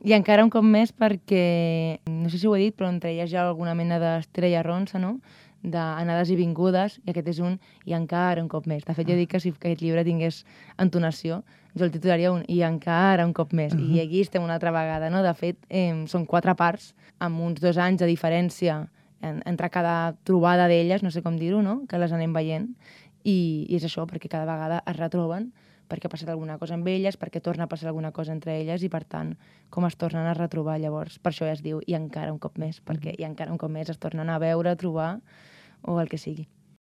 I encara un cop més perquè, no sé si ho he dit, però entre elles hi ha alguna mena d'estira i arronsa, no? D'anades i vingudes, i aquest és un i encara un cop més. De fet, jo dic que si aquest llibre tingués entonació, jo el titularia un i encara un cop més. I aquí estem una altra vegada, no? De fet, són 4 parts, amb uns 2 anys de diferència entre cada trobada d'elles, no sé com dir-ho, no? Que les anem veient. I és això, perquè cada vegada es retroben, perquè ha passat alguna cosa amb elles, perquè torna a passar alguna cosa entre elles i, per tant, com es tornen a retrobar llavors. Per això ja es diu i encara un cop més, perquè i encara un cop més es tornen a veure, a trobar o el que sigui.